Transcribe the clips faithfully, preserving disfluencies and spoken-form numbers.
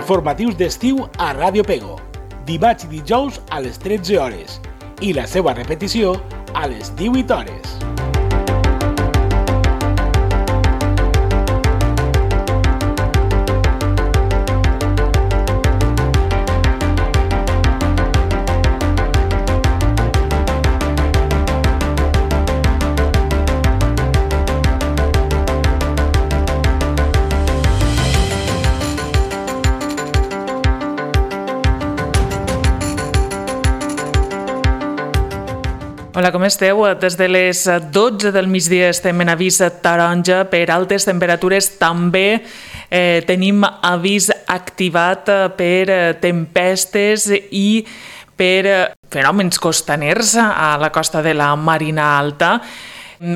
Informatius d'estiu a Ràdio Pego, dimarts i dijous a les tretze hores i la seva repetició a les divuit hores. Hola, com esteu? Des de les dotze del migdia estem en avís taronja per altes temperatures. També eh, tenim avís activat per tempestes i per fenòmens costaners a la costa de la Marina Alta.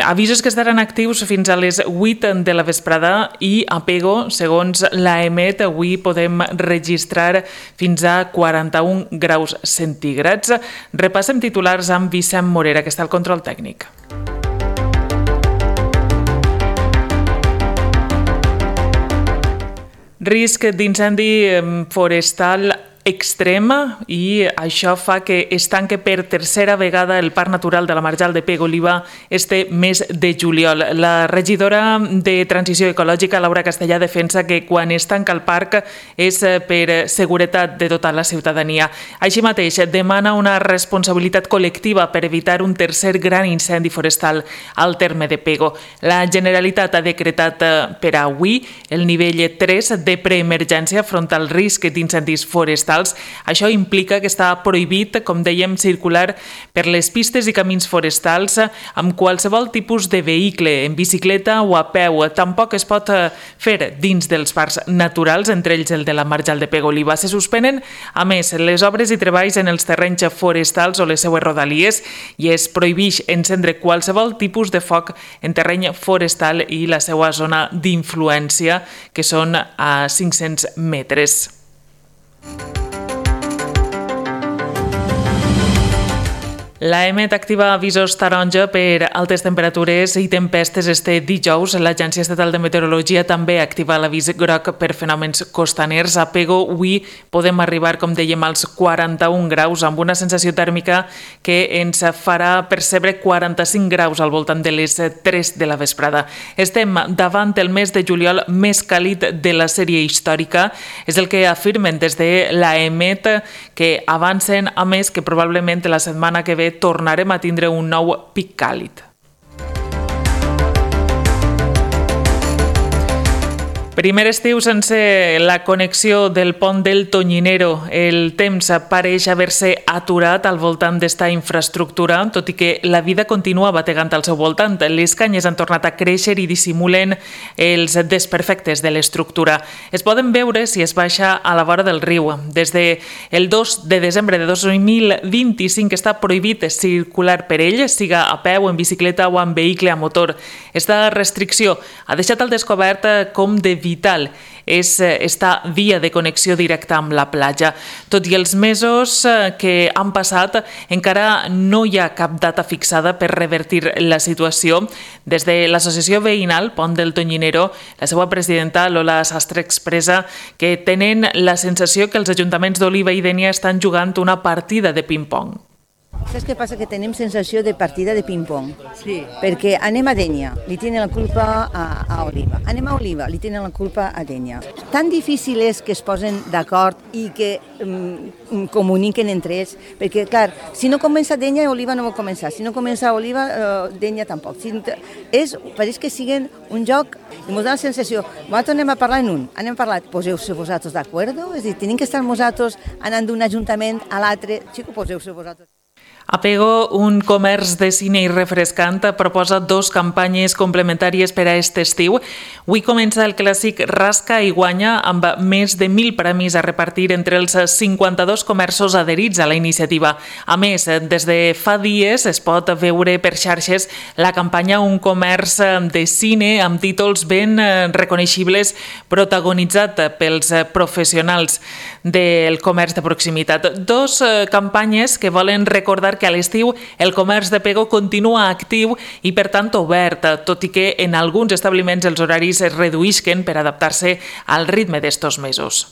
Avisos que estaran actius fins a les vuit de la vesprada i a Pego, segons l'AEMET, avui podem registrar fins a quaranta-un graus centígrads. Repassem titulars amb Vicent Morera, que està al control tècnic. Risc d'incendi forestal extrema i això fa que es tanque per tercera vegada el Parc Natural de la Marjal de Pego-Oliva este mes de juliol. La regidora de Transició Ecològica, Laura Castellà, defensa que quan es tanca el parc és per seguretat de tota la ciutadania. Així mateix, demana una responsabilitat col·lectiva per evitar un tercer gran incendi forestal al terme de Pego. La Generalitat ha decretat per avui el nivell tres de preemergència front al risc d'incendis forestals. Això implica que està prohibit, com dèiem, circular per les pistes i camins forestals amb qualsevol tipus de vehicle, en bicicleta o a peu. Tampoc es pot fer dins dels parcs naturals, entre ells el de la Marjal de Pego-Oliva. Se suspenen, a més, les obres i treballs en els terrenys forestals o les seues rodalies i es prohibeix encendre qualsevol tipus de foc en terreny forestal i la seva zona d'influència, que són a cinc-cents metres. L'AEMET activa avisos taronja per altes temperatures i tempestes este dijous. L'Agència Estatal de Meteorologia també activa l'avís groc per fenòmens costaners. A Pego avui podem arribar, com dèiem, als quaranta-un graus, amb una sensació tèrmica que ens farà percebre quaranta-cinc graus al voltant de les tres de la vesprada. Estem davant el mes de juliol més càlid de la sèrie històrica. És el que afirmen des de l'AEMET, que avancen, a més, que probablement la setmana que ve tornarem a tindre un nou pic càlid. Primer estiu sense la connexió del pont del Tonyinero. El temps pareix haver-se aturat al voltant d'esta infraestructura, tot i que la vida continua bategant al seu voltant. Les canyes han tornat a créixer i dissimulen els desperfectes de l'estructura. Es poden veure si es baixa a la vora del riu. Des del dos de desembre de dos mil vint-i-cinc està prohibit circular per ell, siga a peu, en bicicleta o en vehicle a motor. Esta restricció ha deixat al descobert com de vital és esta via de connexió directa amb la platja. Tot i els mesos que han passat, encara no hi ha cap data fixada per revertir la situació. Des de l'associació veïnal Pont del Tonyinero, la seva presidenta Lola Sastre expressa que tenen la sensació que els ajuntaments d'Oliva i Dénia estan jugant una partida de ping-pong. Saps què passa? Que tenim sensació de partida de ping-pong. Sí. Perquè anem a Dénia, li tenen la culpa a, a Oliva. Anem a Oliva, li tenen la culpa a Dénia. Tan difícil és que es posen d'acord i que um, comuniquen entre ells, perquè, clar, si no comença Dénia, Oliva no vol començar. Si no comença Oliva, uh, Dénia tampoc. Si, és, pareix que siguin un joc i ens dona la sensació, nosaltres anem a parlar en un, anem a parlar, poseu-se vosaltres d'acord? És a dir, tenim que estar nosaltres anant d'un ajuntament a l'altre, xico, poseu-se vosaltres. A Pego, un comerç de cine i refrescant proposa dos campanyes complementàries per a aquest estiu. Avui comença el clàssic Rasca i Guanya amb més de mil premis a repartir entre els cinquanta-dos comerços adherits a la iniciativa. A més, des de fa dies es pot veure per xarxes la campanya Un comerç de cine amb títols ben reconeixibles protagonitzat pels professionals del comerç de proximitat. Dos campanyes que volen recordar que a l'estiu el comerç de Pego continua actiu i, per tant, obert, tot i que en alguns establiments els horaris es reduïsquen per adaptar-se al ritme d'estos mesos.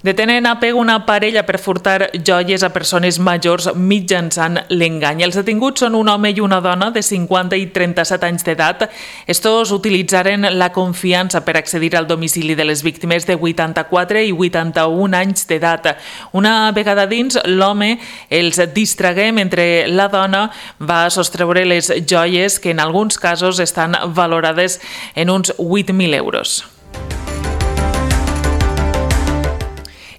Detenen a Pego una parella per furtar joies a persones majors mitjançant l'engany. Els detinguts són un home i una dona de cinquanta i trenta-set anys d'edat. Estos utilitzaren la confiança per accedir al domicili de les víctimes de vuitanta-quatre i vuitanta-un anys d'edat. Una vegada dins, l'home els distragué mentre la dona va sostreure les joies que en alguns casos estan valorades en uns vuit mil euros.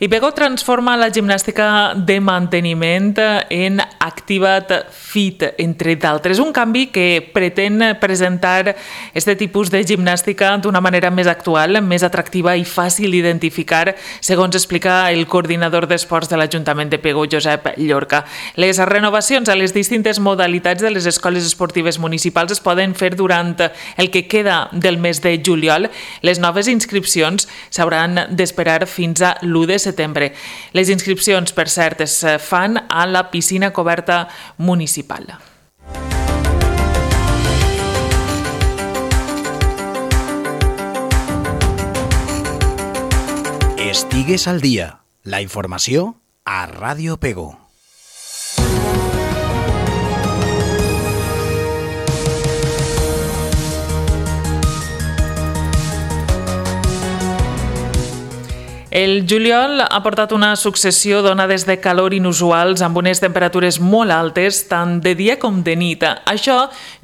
I Pego transforma la gimnàstica de manteniment en Activa't Fit, entre d'altres. Un canvi que pretén presentar aquest tipus de gimnàstica d'una manera més actual, més atractiva i fàcil d'identificar, segons explica el coordinador d'esports de l'Ajuntament de Pego, Josep Llorca. Les renovacions a les distintes modalitats de les escoles esportives municipals es poden fer durant el que queda del mes de juliol. Les noves inscripcions s'hauran d'esperar fins a l'u de setembre. Les inscripcions, per cert, es fan a la piscina coberta municipal. Estigues al dia. La informació a Ràdio Pego. El juliol ha portat una successió d'onades de calor inusuals amb unes temperatures molt altes, tant de dia com de nit. Això,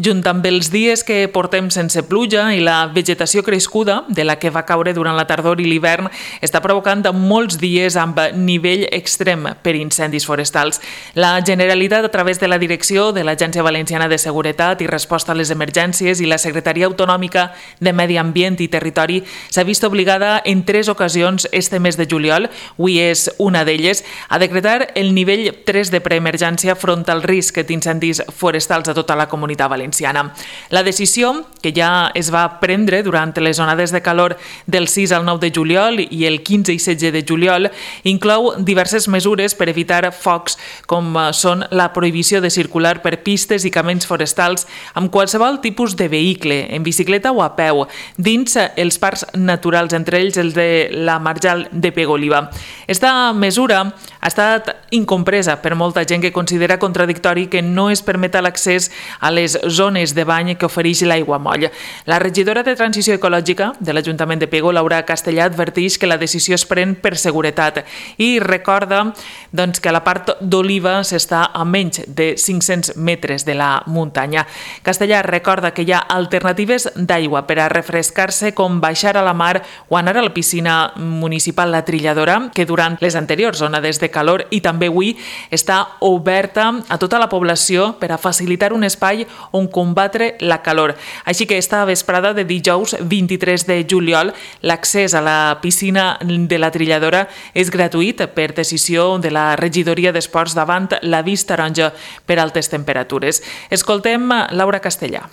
junt amb els dies que portem sense pluja i la vegetació crescuda, de la que va caure durant la tardor i l'hivern, està provocant molts dies amb nivell extrem per incendis forestals. La Generalitat, a través de la direcció de l'Agència Valenciana de Seguretat i Resposta a les Emergències i la Secretaria Autonòmica de Medi Ambient i Territori, s'ha vist obligada en tres ocasions este mes de juliol, avui és una d'elles, a decretar el nivell tres de preemergència front al risc d'incendis forestals a tota la Comunitat Valenciana. La decisió, que ja es va prendre durant les onades de calor del sis al nou de juliol i el quinze i setze de juliol, inclou diverses mesures per evitar focs, com són la prohibició de circular per pistes i camins forestals amb qualsevol tipus de vehicle, en bicicleta o a peu, dins els parcs naturals, entre ells els de la Marjal de Pego-Oliva. Esta mesura ha estat incompresa per molta gent que considera contradictori que no es permeta l'accés a les zones de bany que ofereix l'aiguamoll. La regidora de Transició Ecològica de l'Ajuntament de Pego, Laura Castellà, adverteix que la decisió es pren per seguretat i recorda doncs, que a la part d'Oliva s'està a menys de cinc-cents metres de la muntanya. Castellà recorda que hi ha alternatives d'aigua per a refrescar-se, com baixar a la mar o anar a la piscina municipal La Trilladora, que durant les anteriors onades de calor i també avui està oberta a tota la població per a facilitar un espai on combatre la calor. Així que esta vesprada de dijous vint-i-tres de juliol l'accés a la piscina de La Trilladora és gratuït per decisió de la regidoria d'Esports davant l'avís taronja per altes temperatures. Escoltem Laura Castellà.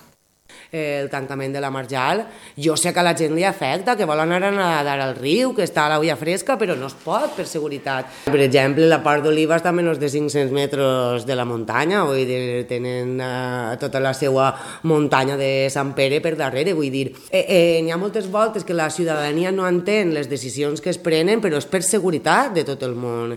El tancament de la Marjal, jo sé que a la gent li afecta, que vol anar a nedar al riu, que està a l'aigua fresca, però no es pot per seguretat. Per exemple, la part d'Oliva està a menys de cinc-cents metres de la muntanya, vull dir, tenen uh, tota la seva muntanya de Sant Pere per darrere, vull dir. Eh, eh, n'hi ha moltes voltes que la ciutadania no entén les decisions que es prenen, però és per seguretat de tot el món.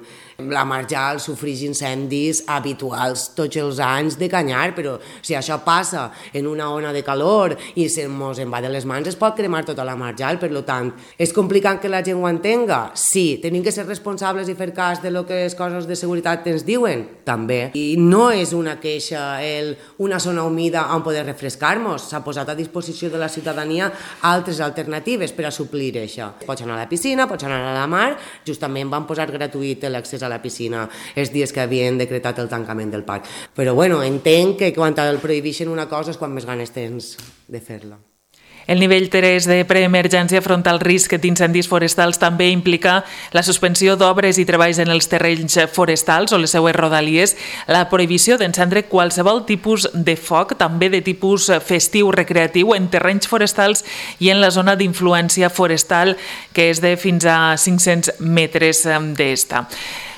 La Marjal sofreix incendis habituals tots els anys de canyar, però si això passa en una ona de calor i se mos en va de les mans, es pot cremar tota la Marjal. Per tant, és complicat que la gent ho entenga? Sí. Tenim que ser responsables i fer cas de lo que les coses de seguretat ens diuen? També. I no és una queixa el, una zona humida on poder refrescar-nos. S'ha posat a disposició de la ciutadania altres alternatives per a suplir això. Pots anar a la piscina, pots anar a la mar. Justament van posar gratuït l'accés a la piscina els dies que havien decretat el tancament del parc. Però bueno, entenc que quan el prohibeixen una cosa és quan més ganes tens de fer-la. El nivell tres de preemergència front al risc d'incendis forestals també implica la suspensió d'obres i treballs en els terrenys forestals o les seues rodalies, la prohibició d'encendre qualsevol tipus de foc, també de tipus festiu recreatiu, en terrenys forestals i en la zona d'influència forestal, que és de fins a cinc-cents metres d'esta.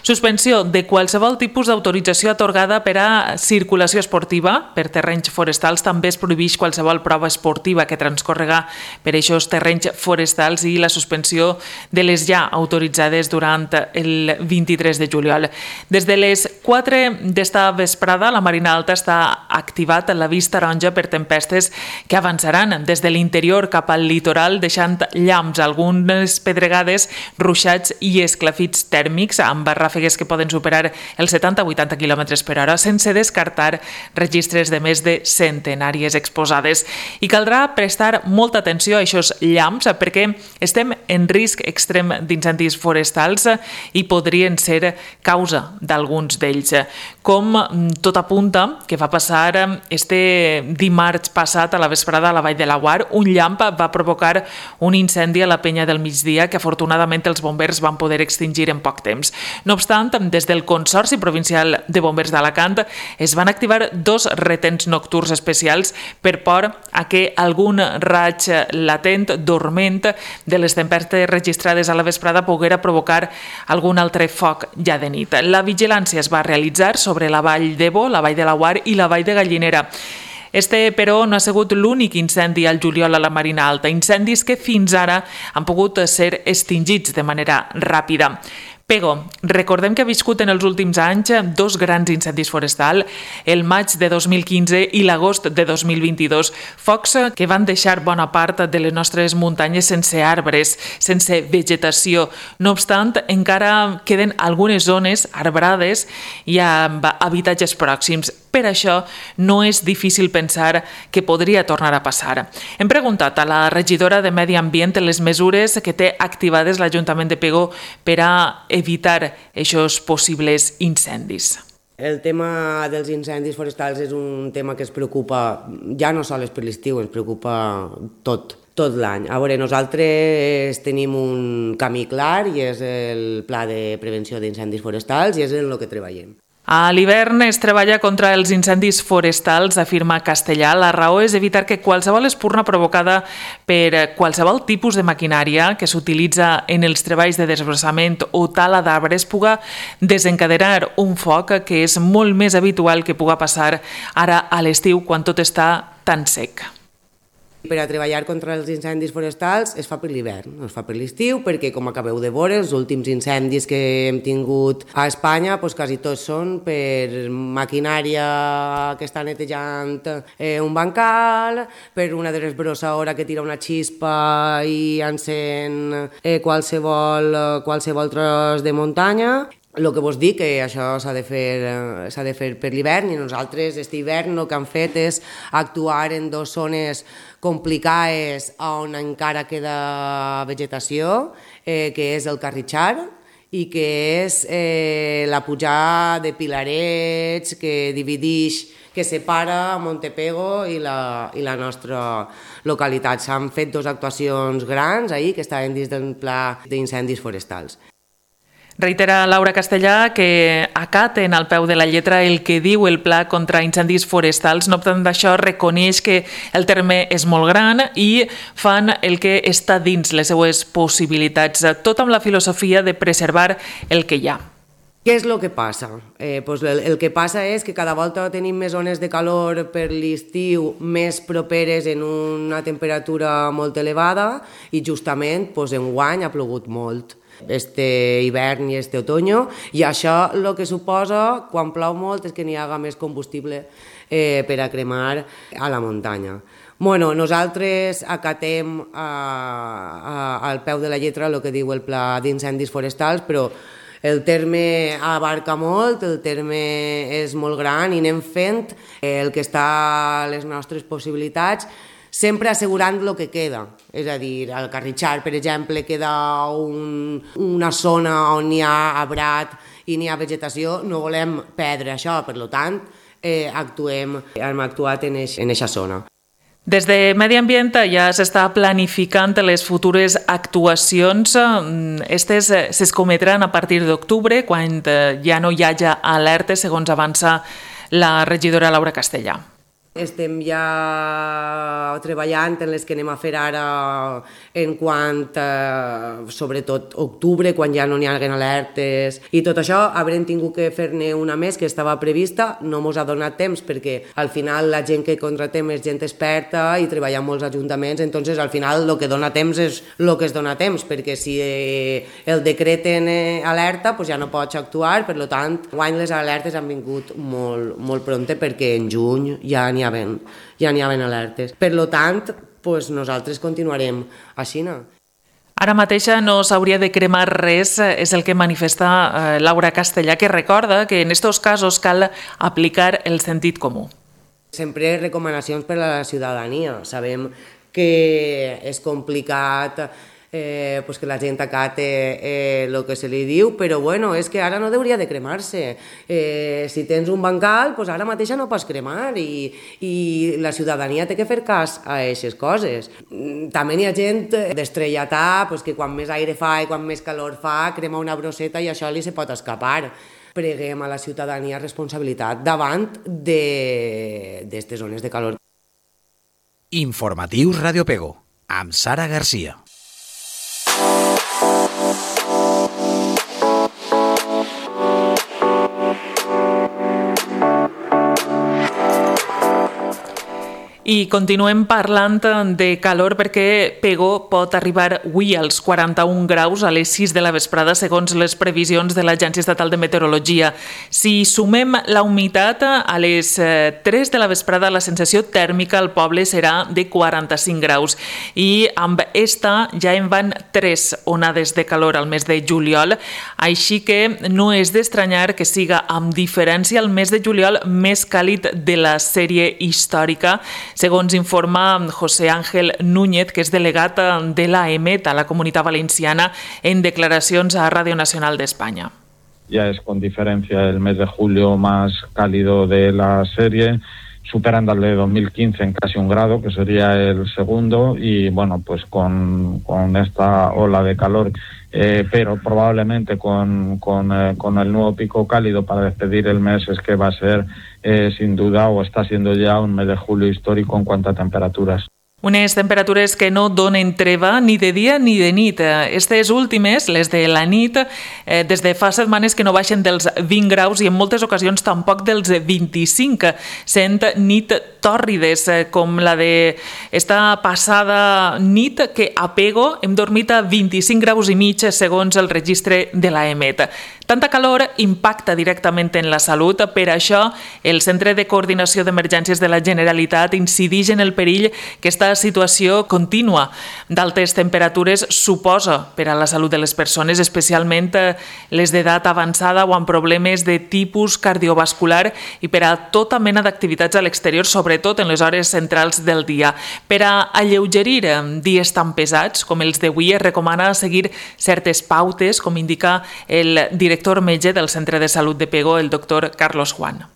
Suspensió de qualsevol tipus d'autorització atorgada per a circulació esportiva per terrenys forestals. També es prohibeix qualsevol prova esportiva que transcorrega per aquests terrenys forestals i la suspensió de les ja autoritzades durant el vint-i-tres de juliol. Des de les quatre d'esta vesprada, la Marina Alta està activat l'avís taronja per tempestes que avançaran des de l'interior cap al litoral, deixant llamps, algunes pedregades, ruixats i esclafits tèrmics amb ràfegues que poden superar els setanta a vuitanta quilòmetres per hora, sense descartar registres de més de centenàries exposades. I caldrà prestar molta atenció a aquests llamps perquè estem en risc extrem d'incendis forestals i podrien ser causa d'alguns d'ells. Com tot apunta que va passar este dimarts passat a la vesprada a la Vall de Laguar, un llamp va provocar un incendi a la Penya del Migdia que afortunadament els bombers van poder extingir en poc temps. No obstant, des del Consorci Provincial de Bombers d'Alacant es van activar dos retens nocturns especials per por a que algun raig latent, dorment, de les tempestes registrades a la vesprada poguera provocar algun altre foc ja de nit. La vigilància es va realitzar sobre la Vall d'Ebo, la Vall de Laguar i la Vall de Gallinera. Este, però, no ha sigut l'únic incendi al juliol a la Marina Alta, incendis que fins ara han pogut ser extingits de manera ràpida. Pego, recordem que ha viscut en els últims anys dos grans incendis forestals, el maig de dos mil quinze i l'agost de dos mil vint-i-dos, focs que van deixar bona part de les nostres muntanyes sense arbres, sense vegetació. No obstant, encara queden algunes zones arbrades i amb habitatges pròxims. Per això no és difícil pensar que podria tornar a passar. Hem preguntat a la regidora de Medi Ambient les mesures que té activades l'Ajuntament de Pego per a evitar aquests possibles incendis. El tema dels incendis forestals és un tema que es preocupa ja no sols per l'estiu, ens preocupa tot, tot l'any. A veure, nosaltres tenim un camí clar i és el Pla de Prevenció d'Incendis Forestals i és en el que treballem. A l'hivern es treballa contra els incendis forestals, afirma Castellà. La raó és evitar que qualsevol espurna provocada per qualsevol tipus de maquinària que s'utilitza en els treballs de desbrossament o tala d'arbres puga desencadenar un foc que és molt més habitual que puga passar ara a l'estiu quan tot està tan sec. Per a treballar contra els incendis forestals es fa per l'hivern, no es fa per l'estiu, perquè com acabeu de veure, els últims incendis que hem tingut a Espanya doncs quasi tots són per maquinària que està netejant eh, un bancal, per una desbrossadora que tira una xispa i encén eh, qualsevol, qualsevol tros de muntanya. El que vos dic, que això s'ha de fer, s'ha de fer per l'hivern i nosaltres aquest hivern el que hem fet és actuar en dues zones complicades on encara queda vegetació, eh, que és el Carritxar i que és eh, la pujada de Pilarets que divideix, que separa Montepego i la, i la nostra localitat. S'han fet dues actuacions grans ahir que estaven dins del pla d'incendis forestals. Reitera Laura Castellà que acaten al peu de la lletra el que diu el Pla contra incendis forestals. No obstant d'això, reconeix que el terme és molt gran i fan el que està dins les seues possibilitats, tot amb la filosofia de preservar el que hi ha. Què és el que passa? Eh, pues el, el que passa és que cada volta tenim més zones de calor per l'estiu més properes en una temperatura molt elevada i justament pues, enguany ha plogut molt. Este hivern i este otoño, i això el que suposa quan plou molt és que n'hi haga més combustible eh, per a cremar a la muntanya. Bueno, nosaltres acatem a, a, al peu de la lletra el que diu el Pla d'Incendis Forestals, però el terme abarca molt, el terme és molt gran i anem fent el que està a les nostres possibilitats, sempre assegurant el que queda. És a dir, al Carritxar, per exemple, queda un, una zona on hi ha arbrat i n'hi ha vegetació, no volem perdre això, per tant, eh, actuem, hem actuat en aquesta zona. Des de Medi Ambient ja s'està planificant les futures actuacions. Estes s'escometran a partir d'octubre, quan ja no hi hagi alertes, segons avança la regidora Laura Castellà. Estem ja treballant en les que anem a fer ara en quant, eh, sobretot, octubre, quan ja no n'hi haguen alertes i tot això. Haurem tingut que fer-ne una més que estava prevista, no mos ha donat temps perquè al final la gent que contratem és gent experta i treballa en molts ajuntaments, entonces al final el que dona temps és el que es dona temps, perquè si el decreten alerta pues ja no pots actuar, per tant, guany les alertes han vingut molt, molt prompte perquè en juny ja n'hi ha ben, ja n'hi havien alertes. Per tant, pues nosaltres continuarem així. Ara mateixa no s'hauria de cremar res, és el que manifesta eh, Laura Castellà, que recorda que en aquests casos cal aplicar el sentit comú. Sempre recomanacions per a la ciutadania. Sabem que és complicat Eh, pues que la gent acate eh, el que se li diu, però bueno, és que ara no hauria de cremar-se. Eh, si tens un bancal, pues ara mateixa no pots cremar i, i la ciutadania té que fer cas a aquestes coses. També hi ha gent d'estrellatà, pues que quan més aire fa i quan més calor fa, crema una brosseta i això li se pot escapar. Preguem a la ciutadania responsabilitat davant d'aquestes zones de calor. Informatius Radio Pego, amb Sara Garcia. I continuem parlant de calor perquè Pego pot arribar avui als quaranta-un graus a les sis de la vesprada segons les previsions de l'Agència Estatal de Meteorologia. Si sumem la humitat, a les tres de la vesprada la sensació tèrmica al poble serà de quaranta-cinc graus i amb esta ja en van tres onades de calor al mes de juliol, així que no és d'estranyar que siga amb diferència el mes de juliol més càlid de la sèrie històrica, segons informa José Ángel Núñez, que és delegat de l'A E M E T a la Comunitat Valenciana, en declaracions a Radio Nacional de España. Ya es con diferencia el mes de julio más cálido de la serie, superando al de dos mil quince en casi un grado, que sería el segundo, y bueno, pues con, con esta ola de calor, eh, pero probablemente con, con, eh, con el nuevo pico cálido para despedir el mes, es que va a ser eh, sin duda, o está siendo ya un mes de julio histórico en cuanto a temperaturas. Unes temperatures que no donen treva ni de dia ni de nit. Estes últimes, les de la nit, eh, des de fa setmanes que no baixen dels vint graus i en moltes ocasions tampoc dels vint-i-cinc, sent nit tòrrides, com la de esta passada nit que a Pego hem dormit a vint-i-cinc graus i mig segons el registre de l'A E M E T. Tanta calor impacta directament en la salut, per això el Centre de Coordinació d'Emergències de la Generalitat incideix en el perill que esta situació contínua d'altes temperatures suposa per a la salut de les persones, especialment les d'edat avançada o amb problemes de tipus cardiovascular i per a tota mena d'activitats a l'exterior, sobretot en les hores centrals del dia. Per a alleugerir dies tan pesats com els d'avui, es recomana seguir certes pautes, com indica el director director metge del Centre de Salud de Pego, el doctor Carlos Juan.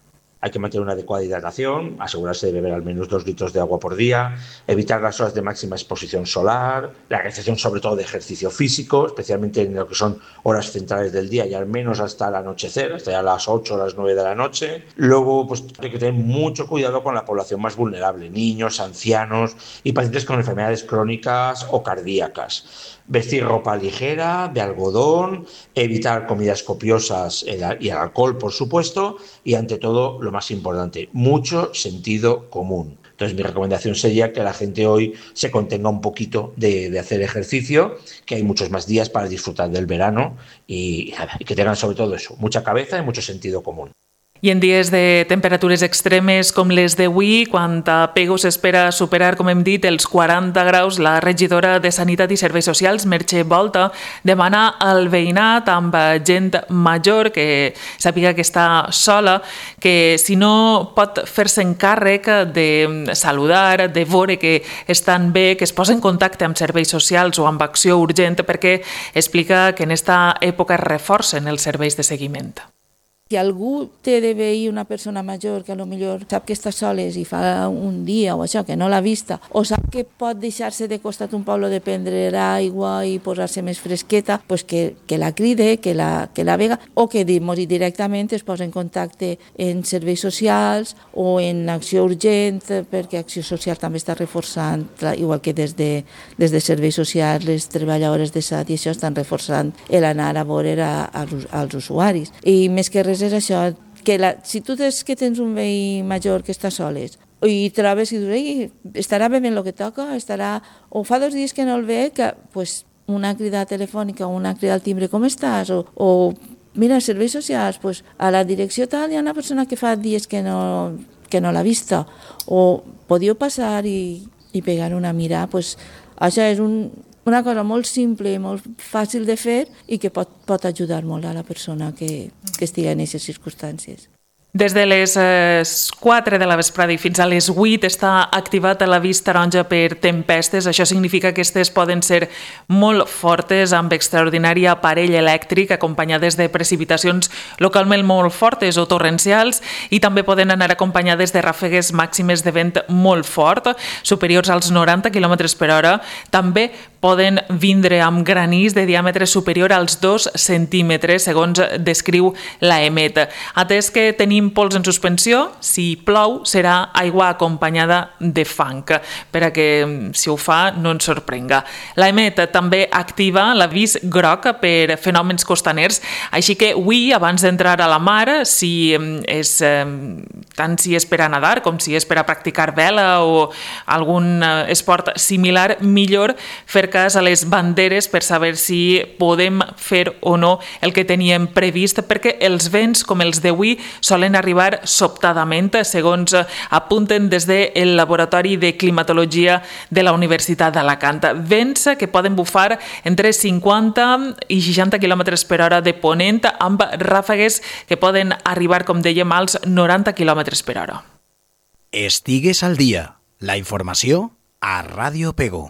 Hay que mantener una adecuada hidratación, asegurarse de beber al menos dos litros de agua por día, evitar las horas de máxima exposición solar, la realización sobre todo de ejercicio físico, especialmente en lo que son horas centrales del día y al menos hasta el anochecer, hasta ya las ocho o las nueve de la noche. Luego, pues hay que tener mucho cuidado con la población más vulnerable, niños, ancianos y pacientes con enfermedades crónicas o cardíacas. Vestir ropa ligera, de algodón, evitar comidas copiosas y el alcohol, por supuesto, y ante todo, lo más importante, mucho sentido común. Entonces, mi recomendación sería que la gente hoy se contenga un poquito de, de hacer ejercicio, que hay muchos más días para disfrutar del verano y, y que tengan sobre todo eso, mucha cabeza y mucho sentido común. I en dies de temperatures extremes com les d'avui, quan a Pego s'espera superar, com hem dit, els quaranta graus, la regidora de Sanitat i Serveis Socials, Merche Volta, demana al veïnat amb gent major que sàpiga que està sola, que si no pot fer-se encàrrec de saludar, de veure que estan bé, que es posa en contacte amb serveis socials o amb acció urgent, perquè explica que en aquesta època es reforcen els serveis de seguiment. Si algú té de veí una persona major que potser sap que està soles i fa un dia o això, que no l'ha vista, o sap que pot deixar-se de costat un poble de prendre aigua i posar-se més fresqueta, pues que, que la cride, que la, que la vega, o que directament es posa en contacte en serveis socials o en acció urgent, perquè Acció Social també està reforçant, igual que des de, des de serveis socials, les treballadores de S A T i això estan reforçant l'anar a veure a, a, als usuaris. I més que res és això, que la, si tu des que tens un veí major que està soles i trobes i dius, estarà bevent el que toca, estarà, o fa dos dies que no el ve, que pues, una crida telefònica o una crida al timbre, com estàs? O, o mira, serveis socials, pues, a la direcció tal hi ha una persona que fa dies que no, que no l'ha vista, o podíeu passar i, i pegar una mirada, pues, això és un una cosa molt simple i molt fàcil de fer i que pot, pot ajudar molt a la persona que, que estigui en aquestes circumstàncies. Des de les quatre de la vesprada i fins a les vuit està activat l'avís taronja per tempestes. Això significa que aquestes poden ser molt fortes, amb extraordinari aparell elèctric, acompanyades de precipitacions localment molt fortes o torrencials, i també poden anar acompanyades de ràfegues màximes de vent molt fort, superiors als noranta quilòmetres per hora. També poden vindre amb granís de diàmetre superior als dos centímetres, segons descriu l'A E M E T. Atès que tenim pols en suspensió, si plou serà aigua acompanyada de fang, per a que, si ho fa, no ens sorprenga. L'A E M E T també activa l'avís groc per fenòmens costaners, així que avui, abans d'entrar a la mar, si és, tant si és per a nadar com si és per a practicar vela o algun esport similar, millor fer cas a les banderes per saber si podem fer o no el que teníem previst, perquè els vents, com els d'avui, solen arribar sobtadament, segons apunten des del Laboratori de Climatologia de la Universitat d'Alacant. Vents que poden bufar entre cinquanta i seixanta quilòmetres per hora de ponent, amb ràfegues que poden arribar, com dèiem, als noranta quilòmetres per hora. Estigues al dia. La informació a Ràdio Pego.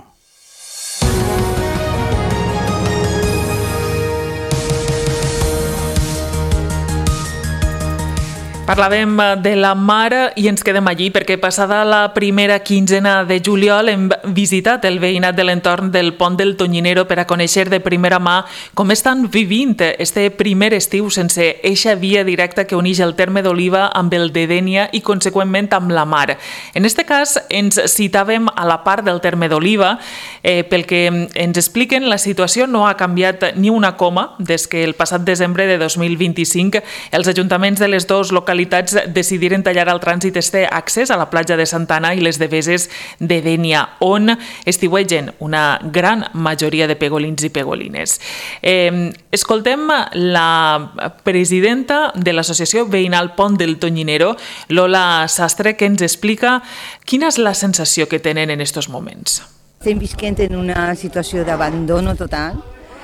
Parlàvem de la mar i ens quedem allí perquè passada la primera quinzena de juliol hem visitat el veïnat de l'entorn del Pont del Tonyinero per a conèixer de primera mà com estan vivint este primer estiu sense eixa via directa que uneix el terme d'Oliva amb el de Dénia i conseqüentment amb la mar. En este cas ens citàvem a la part del terme d'Oliva, eh, pel que ens expliquen la situació no ha canviat ni una coma des que el passat desembre de dos mil vint-i-cinc els ajuntaments de les dues localitats decidiren tallar el trànsit este accés a la platja de Santa Anna i les deveses de Dénia, on estiuegen una gran majoria de pegolins i pegolines. Eh, escoltem la presidenta de l'Associació Veïnal Pont del Tonyinero, Lola Sastre, que ens explica quina és la sensació que tenen en aquests moments. Estem visquent en una situació d'abandono total.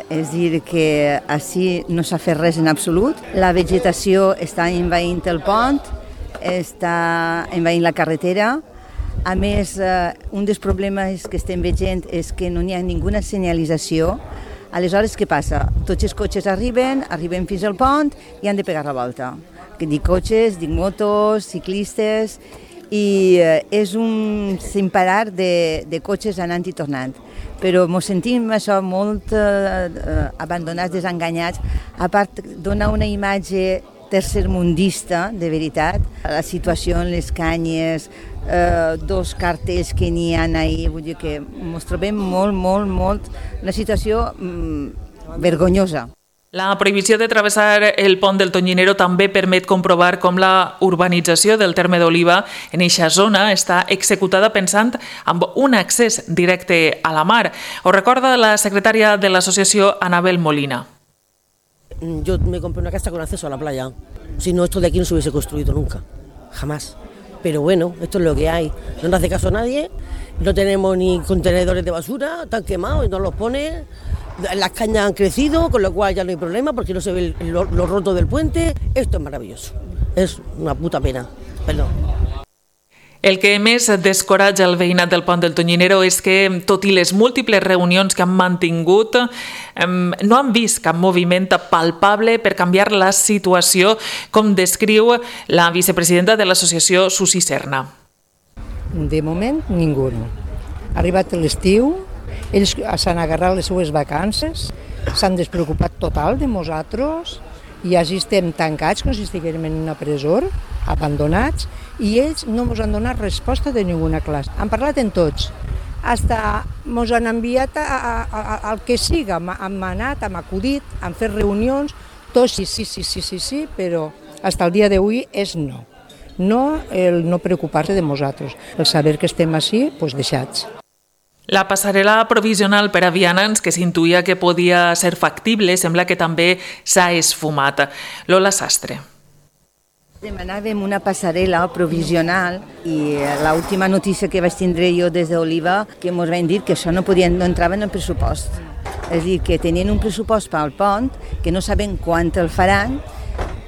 És dir, que així no s'ha fet res en absolut. La vegetació està envaint el pont, està envaint la carretera. A més, un dels problemes que estem veient és que no hi ha ninguna senyalització. Aleshores, què passa? Tots els cotxes arriben, arriben fins al pont i han de pegar la volta. Dic cotxes, dic motos, ciclistes, i és un sin parar de, de cotxes anant i tornant. Però ens sentim això molt eh, abandonats, desenganyats. A part, dona una imatge tercermundista, de veritat. La situació en les canyes, eh, dos cartells que n'hi ha ahir, vull dir que ens trobem molt, molt, molt, una situació mm, vergonyosa. La prohibició de travessar el pont del Tonyinero també permet comprovar com la urbanització del terme d'Oliva en eixa zona està executada pensant amb un accés directe a la mar. Ho recorda la secretària de l'associació, Anabel Molina. Yo me compré una casa con acceso a la playa. Si no, esto de aquí no se hubiese construido nunca, jamás. Pero bueno, esto es lo que hay. No nos hace caso a nadie, no tenemos ni contenedores de basura, están quemados y nos los ponen. Las cañas han crecido, con lo cual ya no hay problema porque no se ve lo, lo roto del puente. Esto es maravilloso. Es una puta pena. Perdón. El que més descoratja el veïnat del Pont del Tonyinero és que, tot i les múltiples reunions que han mantingut, no han vist cap moviment palpable per canviar la situació, com descriu la vicepresidenta de l'associació Susi Serna. De moment, ningú. Ha arribat l'estiu, ells s'han agarrat les seues vacances, s'han despreocupat total de nosaltres, i així estem tancats com si estiguérem en una presó, abandonats, i ells no ens han donat resposta de ninguna classe. Han parlat en tots, hasta ens han enviat a, a, a, al que siga, hem anat, hem acudit, hem fet reunions, tots sí, sí, sí, sí, sí, sí, però fins al dia d'avui és no. No el no preocupar-se de nosaltres, el saber que estem així, doncs deixats. La passarel·la provisional per a vianants, que s'intuïa que podia ser factible, sembla que també s'ha esfumat. Lola Sastre. Demanàvem una passarel·la provisional i l'última notícia que vaig tindre jo des d'Oliva que ens van dir que això no, podien, no entrava en el pressupost. És a dir, que tenien un pressupost per al pont, que no saben quant el faran,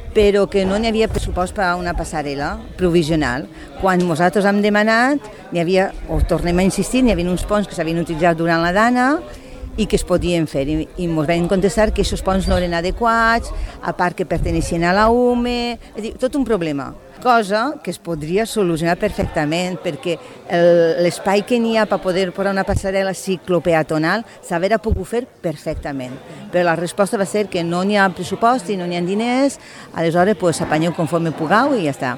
però que no n'hi havia pressupost per a una passarel·la provisional. Quan nosaltres hem demanat, n'hi havia, o tornem a insistir, n'hi havia uns ponts que s'havien utilitzat durant la dana i que es podien fer. I ens van contestar que aquests ponts no eren adequats, a part que perteneixien a la U M E, és a dir, tot un problema. Cosa que es podria solucionar perfectament, perquè l'espai que n'hi ha per poder posar una passarel·la ciclopeatonal s'hauria pogut fer perfectament. Però la resposta va ser que no n'hi ha pressupost i no n'hi ha diners, aleshores s'apanyeu conforme pugueu i ja està.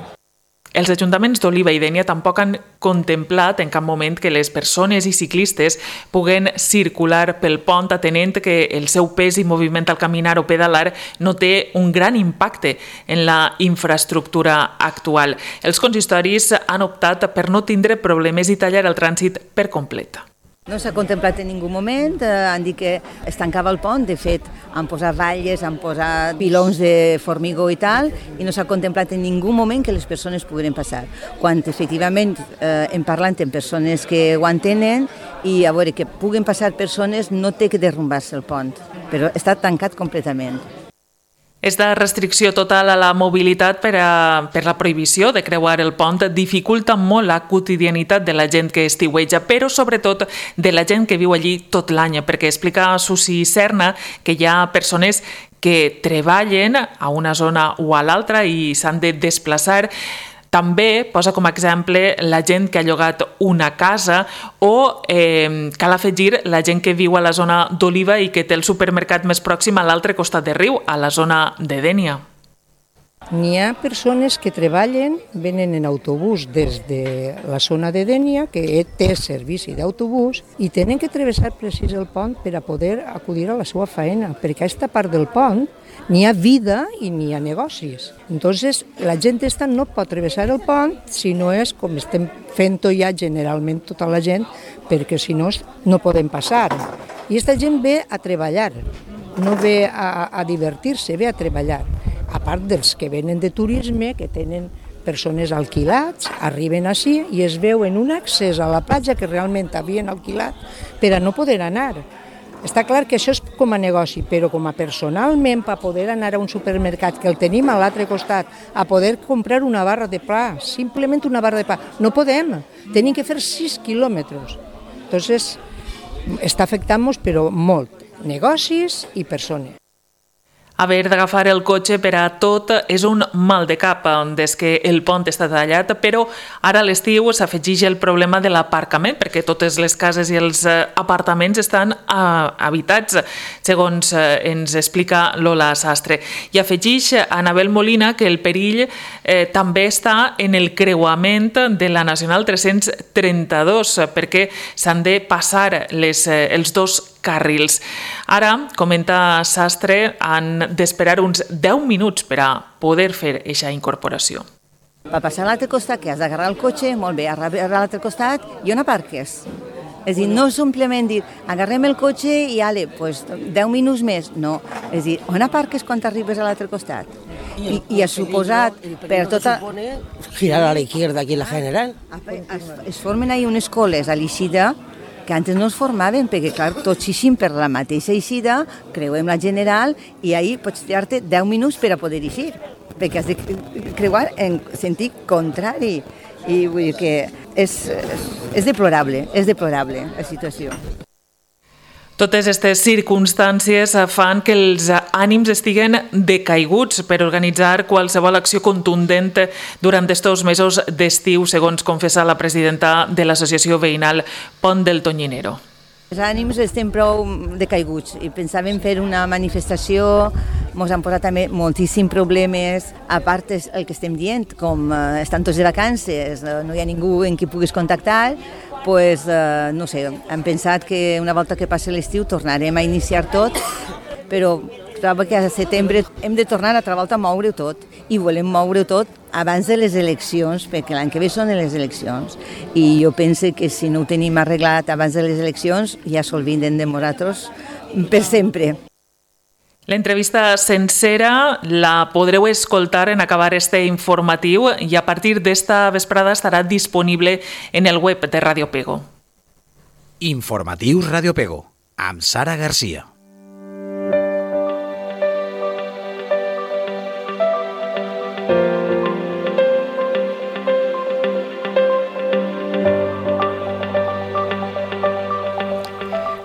Els ajuntaments d'Oliva i Dénia tampoc han contemplat en cap moment que les persones i ciclistes puguen circular pel pont, atenent que el seu pes i moviment al caminar o pedalar no té un gran impacte en la infraestructura actual. Els consistoris han optat per no tindre problemes i tallar el trànsit per complet. No s'ha contemplat en ningú moment, eh, han dit que es tancava el pont, de fet han posat valles, han posat pilons de formigó i tal, i no s'ha contemplat en ningú moment que les persones pogueren passar. Quan efectivament eh, hem parlat amb persones que ho entenen, i a veure que puguen passar persones no té que derrumbar-se el pont, però està tancat completament. Esta restricció total a la mobilitat per, a, per la prohibició de creuar el pont dificulta molt la quotidianitat de la gent que estiueja, però sobretot de la gent que viu allí tot l'any, perquè explica Susi Serna que hi ha persones que treballen a una zona o a l'altra i s'han de desplaçar. També posa com a exemple la gent que ha llogat una casa o eh, cal afegir la gent que viu a la zona d'Oliva i que té el supermercat més pròxim a l'altre costat de riu, a la zona de Dénia. N'hi ha persones que treballen, venen en autobús des de la zona de Dénia, que té servici d'autobús, i tenen que travessar precís el pont per a poder acudir a la seva feina, perquè a aquesta part del pont n'hi ha vida i n'hi ha negocis. Entonces, la gent esta no pot travessar el pont si no és com estem fent-ho ja generalment tota la gent, perquè si no no podem passar. I aquesta gent ve a treballar, no ve a, a divertir-se, ve a treballar. A part dels que venen de turisme, que tenen persones alquilats, arriben així i es veuen un accés a la platja que realment havien alquilat per a no poder anar. Està clar que això és com a negoci, però com a personalment, per poder anar a un supermercat que el tenim a l'altre costat, a poder comprar una barra de pa, simplement una barra de pa, no podem, tenim que fer sis quilòmetres. Entonces, està afectant-nos, però molt, negocis i persones. Haver d'agafar el cotxe per a tot és un mal de cap des que el pont està tallat, però ara a l'estiu s'afegeix el problema de l'aparcament, perquè totes les cases i els apartaments estan habitats, segons ens explica Lola Sastre. I afegeix Anabel Molina que el perill eh, també està en el creuament de la Nacional tres-cents trenta-dos, perquè s'han de passar les, els dos carrils. Ara, comenta Sastre, han d'esperar uns deu minuts per a poder fer aquesta incorporació. Per passar a l'altre costat, que has d'agarrar el cotxe, molt bé, agarrar a l'altre costat i on aparques. És a dir, no simplement dir, agarrem el cotxe i ale, pues, deu minuts més. No, és a dir, on aparques quan arribes a l'altre costat? I, i ha suposat per tota... Girar a la izquierda aquí en la General. Es, es formen ahí unes coles a l'Eixida que antes no es formaven, perquè clar, tots eixim per la mateixa eixida, creuem la General i ahí pots tirar-te deu minuts per a poder eixir. perquè has de creuar en sentit contrari. I vull dir que és, és deplorable, és deplorable la situació. Totes aquestes circumstàncies fan que els ànims estiguen decaiguts per organitzar qualsevol acció contundent durant aquests mesos d'estiu, segons confessa la presidenta de l'associació veïnal Pont del Tonyinero. Els ànims estem prou decaiguts i pensàvem fer una manifestació, ens han posat també moltíssims problemes, a part el que estem dient, com estan tots de vacances, no hi ha ningú en qui puguis contactar, pues, no sé, hem pensat que una volta que passi l'estiu tornarem a iniciar tot, però trobo que a setembre hem de tornar altra volta a moure-ho tot i volem moure-ho tot abans de les eleccions, perquè l'any que ve són les eleccions i jo penso que si no ho tenim arreglat abans de les eleccions ja s'olviden de nosaltres per sempre. L'entrevista sencera la podreu escoltar en acabar este informatiu i a partir d'esta vesprada estarà disponible en el web de Ràdio Pego. Informatius Ràdio Pego, amb Sara Garcia.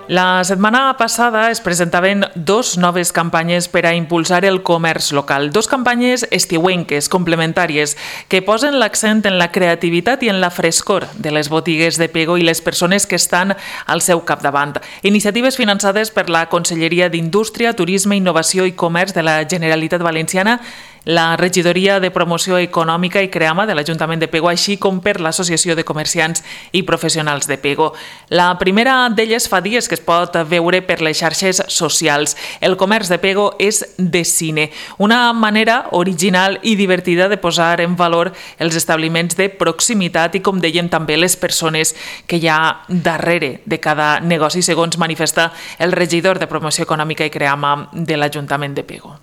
La setmana passada es presentaven dos noves campanyes per a impulsar el comerç local. Dos campanyes estiuenques, complementàries, que posen l'accent en la creativitat i en la frescor de les botigues de Pego i les persones que estan al seu capdavant. Iniciatives finançades per la Conselleria d'Indústria, Turisme, Innovació i Comerç de la Generalitat Valenciana, la Regidoria de Promoció Econòmica i Creama de l'Ajuntament de Pego, així com per l'Associació de Comerciants i Professionals de Pego. La primera d'elles fa dies que es pot veure per les xarxes socials. El comerç de Pego és de cine, una manera original i divertida de posar en valor els establiments de proximitat i, com dèiem, també les persones que hi ha darrere de cada negoci, segons manifesta el regidor de Promoció Econòmica i Creama de l'Ajuntament de Pego.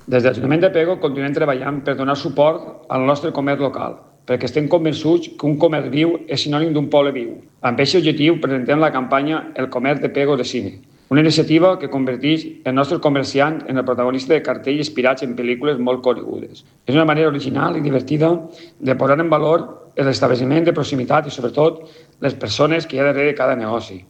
Des de l'Ajuntament de Pego continuem treballant per donar suport al nostre comerç local, perquè estem convençuts que un comerç viu és sinònim d'un poble viu. Amb aquest objectiu presentem la campanya El comerç de Pego de cine, una iniciativa que converteix el nostre comerciant en el protagonista de cartells inspirats en pel·lícules molt conegudes. És una manera original i divertida de posar en valor l'establiment de proximitat i, sobretot, les persones que hi ha darrere de cada negoci.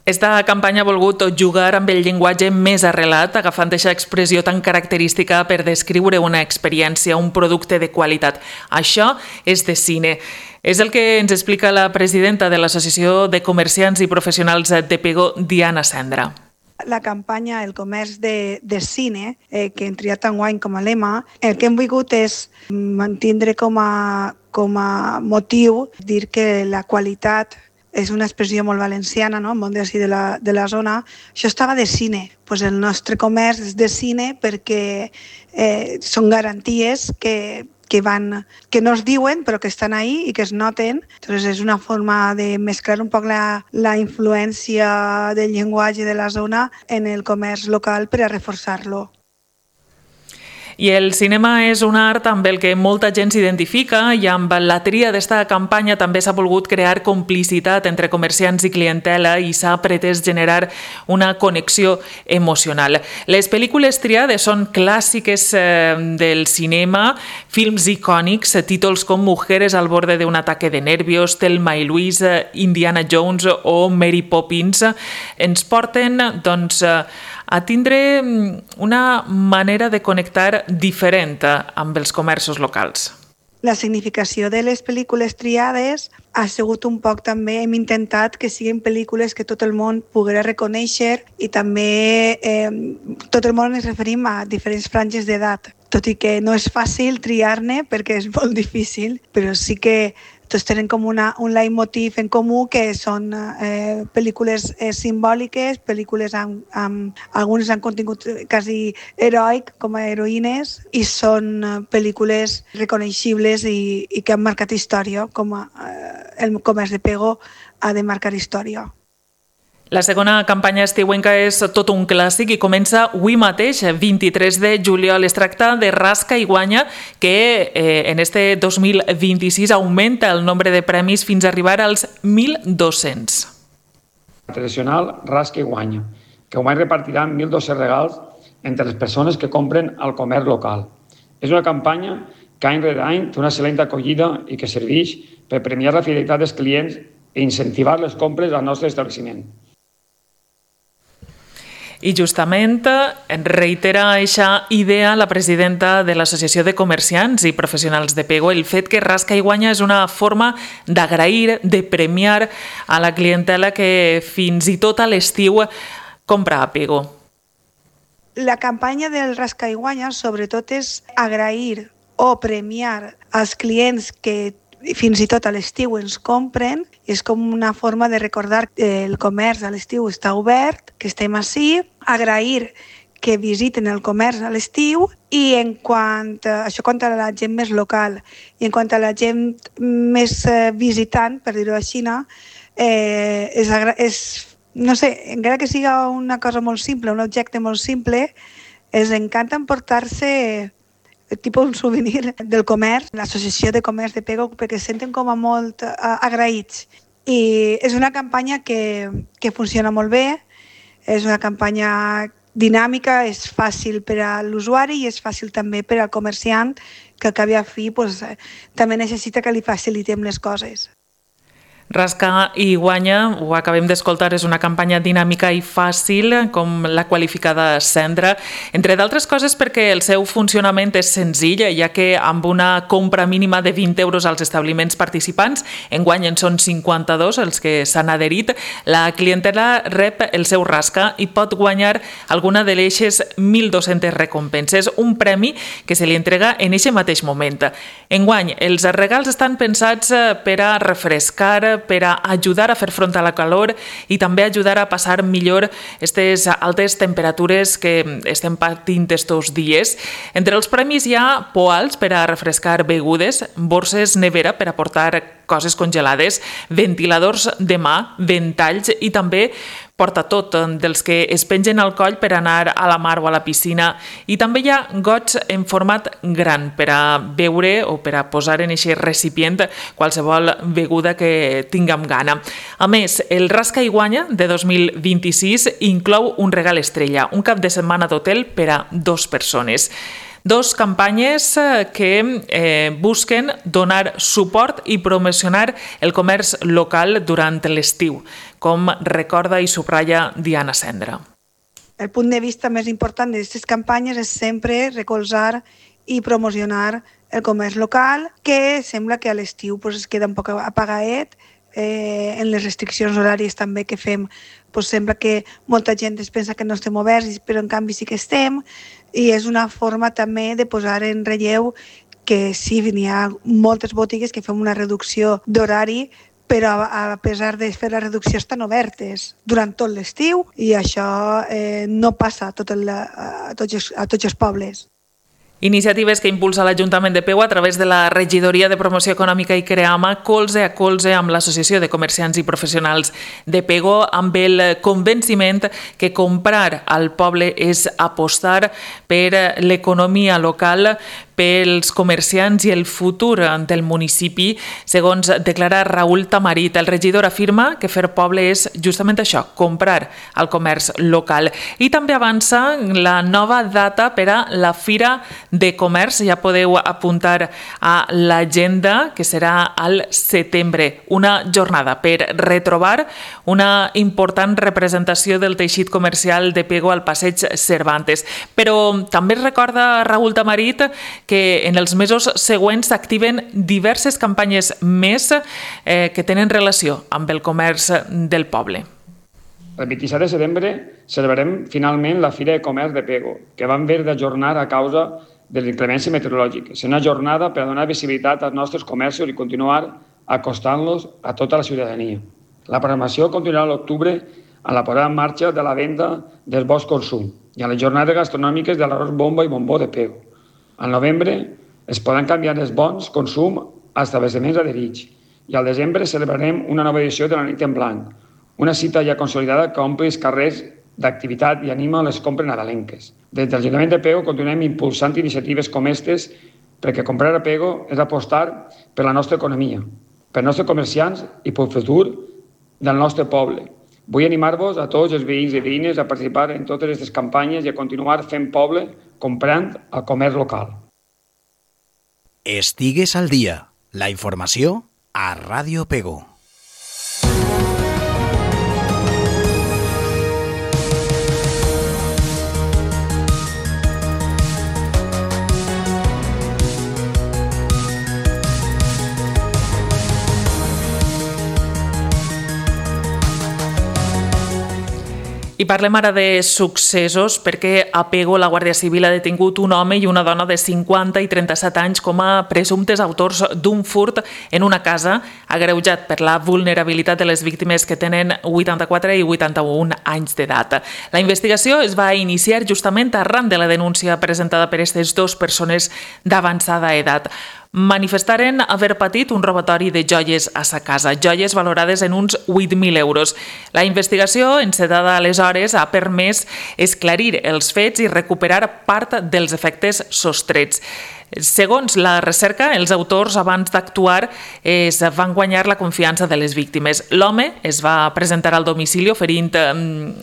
Esta campanya ha volgut jugar amb el llenguatge més arrelat, agafant aquesta expressió tan característica per descriure una experiència, un producte de qualitat. Això és de cine. És el que ens explica la presidenta de l'Associació de Comerciants i Professionals de Pego, Diana Cendra. La campanya El comerç de, de cine, eh, que hem triat enguany com a lema, el que hem volgut és mantindre com a, com a motiu dir que la qualitat és una expressió molt valenciana, no? El món d'ací de, la, de la zona. Això estava de cine. Pues el nostre comerç és de cine perquè eh, són garanties que, que, van, que no es diuen però que estan ahí i que es noten. Entonces és una forma de mesclar un poc la, la influència del llenguatge de la zona en el comerç local per a reforçar-lo. I el cinema és un art amb el que molta gent s'identifica i amb la tria d'esta campanya també s'ha volgut crear complicitat entre comerciants i clientela i s'ha pretès generar una connexió emocional. Les pel·lícules triades són clàssiques eh, del cinema, films icònics, títols com Mujeres al borde de un ataque de nervios, Thelma i Louise, Indiana Jones o Mary Poppins, ens porten doncs, a tindre una manera de connectar diferent amb els comerços locals. La significació de les pel·lícules triades ha sigut un poc també, hem intentat que siguin pel·lícules que tot el món poguera reconèixer i també eh, tot el món ens referim a diferents franges d'edat. Tot i que no és fàcil triar-ne perquè és molt difícil, però sí que tots tenen com una, un leitmotiv en comú que són eh, pel·lícules eh, simbòliques, pel·lícules amb, amb algunes amb contingut quasi heroic com a heroïnes i són eh, pel·lícules reconeixibles i, i que han marcat història, com a, eh, el comerç de Pego ha de marcar història. La segona campanya estiuenca és tot un clàssic i comença avui mateix, vint-i-tres de juliol. Es tracta de Rasca i Guanya, que eh, en este dos mil vint-i-sis augmenta el nombre de premis fins a arribar als mil dos-cents. Tradicional Rasca i Guanya, que avui repartiran mil dos-cents regals entre les persones que compren al comerç local. És una campanya que any rere any té una excel·lent acollida i que serveix per premiar la fidelitat dels clients i incentivar les compres al nostre establiment. I justament reitera aquesta idea la presidenta de l'Associació de Comerciants i Professionals de Pego, el fet que Rasca i Guanya és una forma d'agrair, de premiar a la clientela que fins i tot a l'estiu compra a Pego. La campanya del Rasca i Guanya sobretot és agrair o premiar als clients que fins i tot a l'estiu ens compren. És com una forma de recordar que el comerç a l'estiu està obert, que estem ací, agrair que visiten el comerç a l'estiu i en quant a, això quant a la gent més local i en quant a la gent més visitant, per dir-ho així, eh, és, és, no sé, encara que siga una cosa molt simple, un objecte molt simple, els encanta emportar-se tipus un souvenir del comerç, l'Associació de Comerç de Pego, perquè es senten com a molt agraïts. I és una campanya que, que funciona molt bé, és una campanya dinàmica, és fàcil per a l'usuari i és fàcil també per al comerciant, que al cap i a fi pues, també necessita que li facilitem les coses. Rasca i Guanya, ho acabem d'escoltar, és una campanya dinàmica i fàcil, com la qualificada Sandra, entre d'altres coses perquè el seu funcionament és senzill, ja que amb una compra mínima de vint euros als establiments participants, enguany en són cinquanta-dos els que s'han adherit, la clientela rep el seu rasca i pot guanyar alguna de les mil dos-centes recompenses, un premi que se li entrega en aquest mateix moment. Enguany, els regals estan pensats per a refrescar, per a ajudar a fer front a la calor i també ajudar a passar millor aquestes altes temperatures que estem patint estos dies. Entre els premis hi ha poals per a refrescar begudes, borses nevera per a portar coses congelades, ventiladors de mà, ventalls i també portatot dels que es pengen al coll per anar a la mar o a la piscina. I també hi ha gots en format gran per a beure o per a posar en aquest recipient qualsevol beguda que tinguem gana. A més, el Rasca i Guanya de dos mil vint-i-sis inclou un regal estrella, un cap de setmana d'hotel per a dos persones. Dos campanyes que eh, busquen donar suport i promocionar el comerç local durant l'estiu, com recorda i subratlla Diana Sendra. El punt de vista més important d'aquestes campanyes és sempre recolzar i promocionar el comerç local, que sembla que a l'estiu pues, es queda un poc apagaet, eh, en les restriccions horàries també que fem, pues, sembla que molta gent es pensa que no estem oberts, però en canvi sí que estem, i és una forma també de posar en relleu que sí, n'hi ha moltes botigues que fem una reducció d'horari, però a pesar de fer la reducció estan obertes durant tot l'estiu i això eh, no passa a, tot el, a, tots, a tots els pobles. Iniciatives que impulsa l'Ajuntament de Pego a través de la Regidoria de Promoció Econòmica i Creama, colze a colze amb l'Associació de Comerciants i Professionals de Pego, amb el convenciment que comprar al poble és apostar per l'economia local, pels comerciants i el futur del municipi, segons declara Raül Tamarit. El regidor afirma que fer poble és justament això, comprar al comerç local. I també avança la nova data per a la Fira de Comerç. Ja podeu apuntar a l'agenda, que serà al setembre. Una jornada per retrobar una important representació del teixit comercial de Pego al Passeig Cervantes. Però també recorda Raül Tamarit que en els mesos següents s'activen diverses campanyes més eh, que tenen relació amb el comerç del poble. El vint-i-set de setembre celebrarem finalment la Fira de Comerç de Pego, que vam haver d'ajornar a causa de l'inclemència meteorològica. És una jornada per a donar visibilitat als nostres comerços i continuar acostant-los a tota la ciutadania. La programació continuarà a l'octubre amb la posada en marxa de la venda del bosc consum i a les jornades gastronòmiques de l'arròs bomba i bombó de Pego. Al novembre es poden canviar els bons consum als establiments adherits i al desembre celebrarem una nova edició de la Nit en Blanc, una cita ja consolidada que omple els carrers d'activitat i anima les compres nadalenques. Des de l'Ajuntament de Pego continuem impulsant iniciatives com aquestes perquè comprar a Pego és apostar per la nostra economia, per els nostres comerciants i pel futur del nostre poble. Vull animar-vos a tots els veïns i veïnes a participar en totes aquestes campanyes i a continuar fent poble comprant al comerç local. Estigues al dia. La informació a Ràdio Pego. I parlem ara de successos perquè a Pego la Guàrdia Civil ha detingut un home i una dona de cinquanta i trenta-set anys com a presumptes autors d'un furt en una casa agreujat per la vulnerabilitat de les víctimes que tenen vuitanta-quatre i vuitanta-un anys d'edat. La investigació es va iniciar justament arran de la denúncia presentada per aquestes dues persones d'avançada edat. Manifestaren haver patit un robatori de joies a sa casa, joies valorades en uns vuit mil euros. La investigació, encedada aleshores, ha permès esclarir els fets i recuperar part dels efectes sostrets. Segons la recerca, els autors, abans d'actuar, es van guanyar la confiança de les víctimes. L'home es va presentar al domicili oferint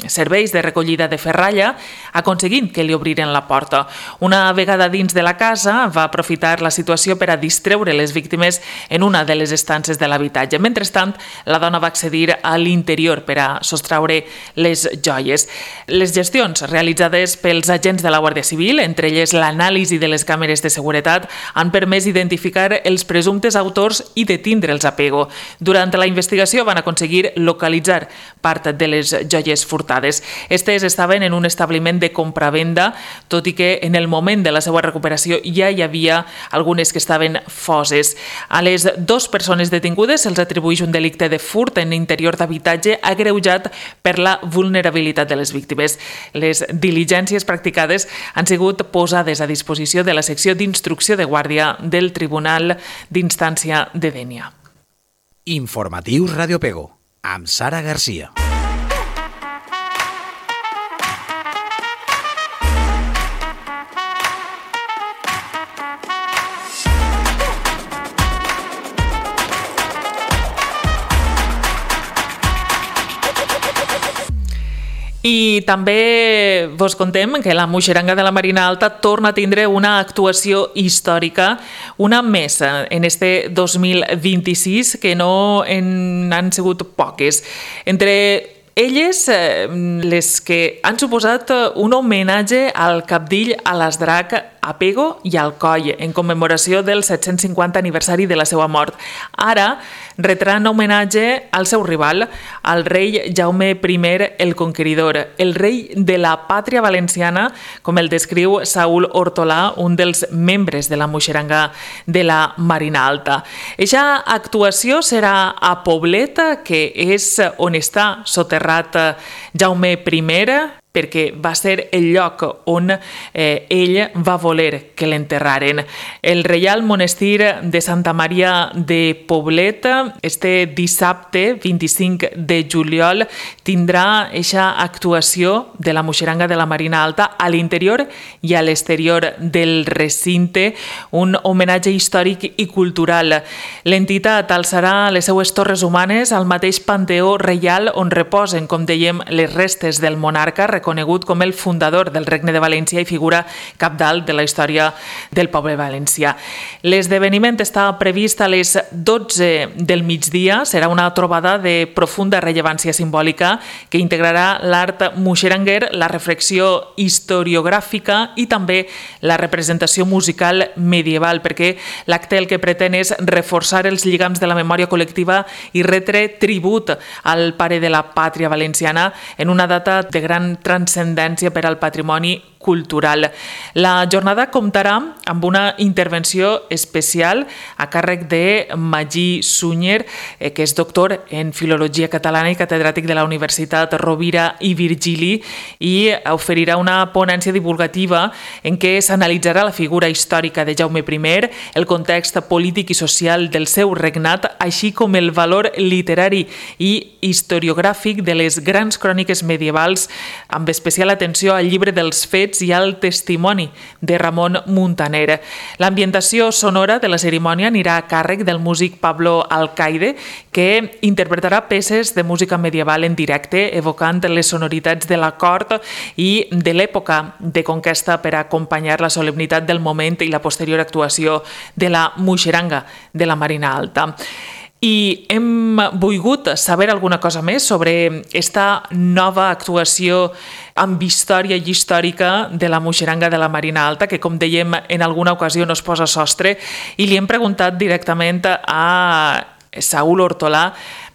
serveis de recollida de ferralla, aconseguint que li obriren la porta. Una vegada dins de la casa, va aprofitar la situació per a distreure les víctimes en una de les estances de l'habitatge. Mentrestant, la dona va accedir a l'interior per a sostraure les joies. Les gestions realitzades pels agents de la Guàrdia Civil, entre elles l'anàlisi de les càmeres de seguretat, han permès identificar els presumptes autors i detindre'ls a Pego. Durant la investigació van aconseguir localitzar part de les joies furtades. Estes estaven en un establiment de compravenda, tot i que en el moment de la seva recuperació ja hi havia algunes que estaven foses. A les dues persones detingudes se'ls atribueix un delicte de furt en interior d'habitatge agreujat per la vulnerabilitat de les víctimes. Les diligències practicades han sigut posades a disposició de la secció d'instrucció instrucció de guàrdia del Tribunal d'Instància de Dénia. Informatius Ràdio Pego, amb Sara Garcia. I també vos contem que la Muixeranga de la Marina Alta torna a tindre una actuació històrica, una més en este dos mil vint-i-sis, que no en han sigut poques. Entre elles, les que han suposat un homenatge al cabdill Alasdrac a Pego i al Coll, en commemoració del set-cents cinquanta aniversari de la seva mort. Ara retran homenatge al seu rival, al rei Jaume primer el Conqueridor, el rei de la pàtria valenciana, com el descriu Saúl Hortolà, un dels membres de la Muixeranga de la Marina Alta. Eixa actuació serà a Poblet, que és on està soterrat Jaume primer, perquè va ser el lloc on eh, ell va voler que l'enterraren. El Reial Monestir de Santa Maria de Poblet, este dissabte vint-i-cinc de juliol, tindrà eixa actuació de la Muixeranga de la Marina Alta a l'interior i a l'exterior del recinte, un homenatge històric i cultural. L'entitat alçarà les seues torres humanes al mateix panteó reial on reposen, com dèiem, les restes del monarca, conegut com el fundador del Regne de València i figura cabdal de la història del poble valencià. L'esdeveniment està previst a les dotze del migdia. Serà una trobada de profunda rellevància simbòlica que integrarà l'art muixeranguer, la reflexió historiogràfica i també la representació musical medieval, perquè l'acte el que pretén és reforçar els lligams de la memòria col·lectiva i retre tribut al pare de la pàtria valenciana en una data de gran transcendència per al patrimoni cultural. La jornada comptarà amb una intervenció especial a càrrec de Magí Sunyer, que és doctor en Filologia Catalana i catedràtic de la Universitat Rovira i Virgili, i oferirà una ponència divulgativa en què s'analitzarà la figura històrica de Jaume primer, el context polític i social del seu regnat, així com el valor literari i historiogràfic de les grans cròniques medievals, amb especial atenció al llibre dels fets fets i el testimoni de Ramon Muntaner. L'ambientació sonora de la cerimònia anirà a càrrec del músic Pablo Alcaide, que interpretarà peces de música medieval en directe, evocant les sonoritats de la cort i de l'època de conquesta per acompanyar la solemnitat del moment i la posterior actuació de la Muixeranga de la Marina Alta. I hem volgut saber alguna cosa més sobre esta nova actuació amb història i històrica de la Muixeranga de la Marina Alta, que, com dèiem, en alguna ocasió no es posa sostre, i li hem preguntat directament a Saúl Hortolà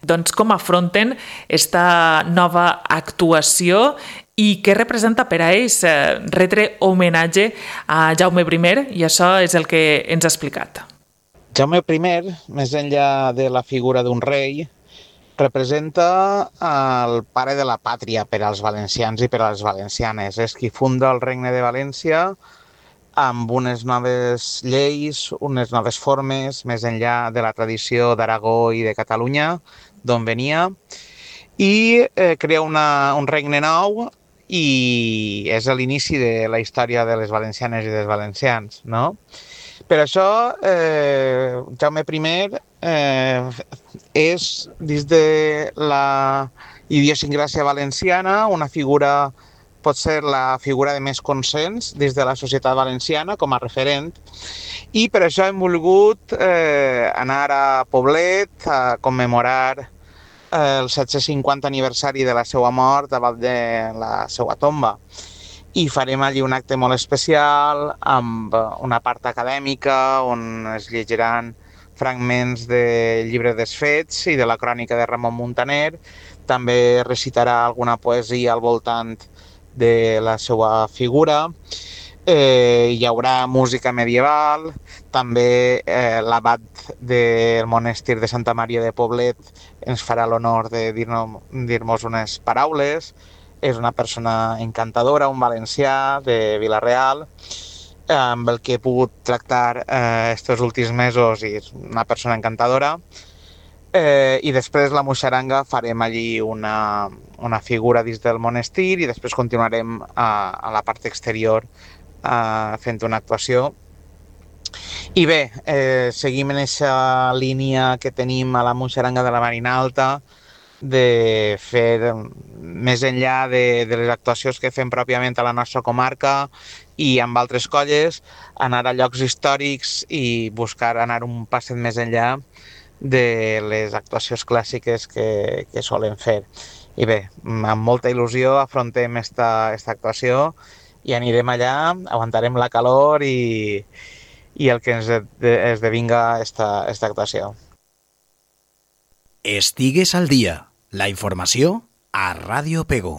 doncs, com afronten esta nova actuació i què representa per a ells retre homenatge a Jaume primer, i això és el que ens ha explicat. Jaume primer, més enllà de la figura d'un rei, representa el pare de la pàtria per als valencians i per a les valencianes. És qui funda el Regne de València amb unes noves lleis, unes noves formes, més enllà de la tradició d'Aragó i de Catalunya, d'on venia, i eh, crea una, un regne nou i és l'inici de la història de les valencianes i dels valencians, no? Per això, eh, Jaume primer eh, és, dins de la idiosincràsia valenciana, una figura, pot ser la figura de més consens dins de la societat valenciana com a referent, i per això hem volgut eh, anar a Poblet a commemorar eh, el set-cents cinquanta aniversari de la seva mort davant de la seva tomba. I farem allí un acte molt especial amb una part acadèmica on es llegiran fragments del llibre dels fets i de la crònica de Ramon Muntaner. També recitarà alguna poesia al voltant de la seva figura. Eh, hi haurà música medieval, també eh, l'abat del monestir de Santa Maria de Poblet ens farà l'honor de dir-nos dir-nos unes paraules. És una persona encantadora, un valencià de Vila-real, amb el que he pogut tractar aquests eh, últims mesos, i és una persona encantadora. Eh, I després la Muixeranga farem allí una, una figura dins del monestir i després continuarem a, a la part exterior eh, fent una actuació. I bé, eh, seguim en aquesta línia que tenim a la Muixeranga de la Marina Alta, de fer més enllà de, de les actuacions que fem pròpiament a la nostra comarca i amb altres colles, anar a llocs històrics i buscar anar un passet més enllà de les actuacions clàssiques que, que solen fer. I bé, amb molta il·lusió afrontem esta, esta actuació i anirem allà, aguantarem la calor i, i el que ens esdevinga esta, esta actuació. Estigues al dia. La informació a Ràdio Pego.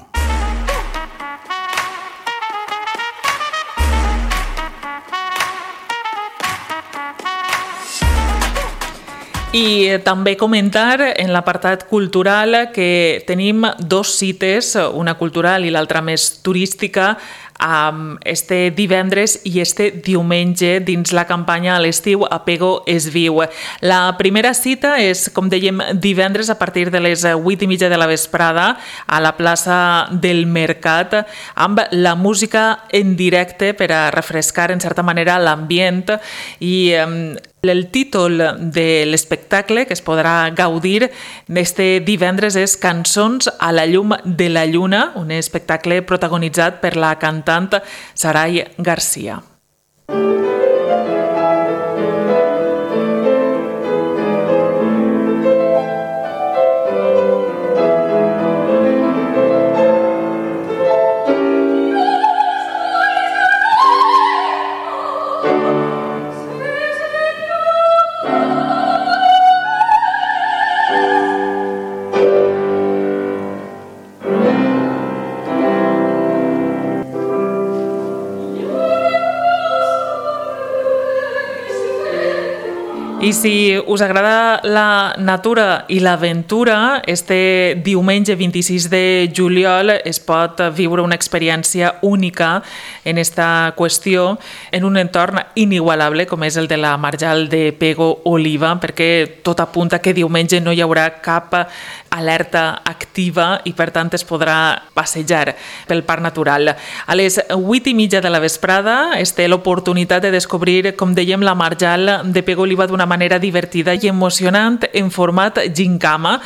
I també comentar en l'apartat cultural que tenim dos cites, una cultural i l'altra més turística, este divendres i este diumenge dins la campanya a l'estiu A Pego es viu. La primera cita és, com dèiem, divendres a partir de les vuit i mitja de la vesprada a la plaça del Mercat amb la música en directe per a refrescar en certa manera l'ambient i el títol de l'espectacle que es podrà gaudir este divendres és Cançons a la llum de la lluna, un espectacle protagonitzat per la cantant Saray García. I si us agrada la natura i l'aventura, este diumenge vint-i-sis de juliol es pot viure una experiència única en esta qüestió en un entorn inigualable com és el de la Marjal de Pego Oliva, perquè tot apunta que diumenge no hi haurà cap alerta activa i per tant es podrà passejar pel parc natural. A les vuit i mitja de la vesprada es té l'oportunitat de descobrir, com dèiem, la Marjal de Pego Oliva d'una manera divertida i emocionant en format gincama.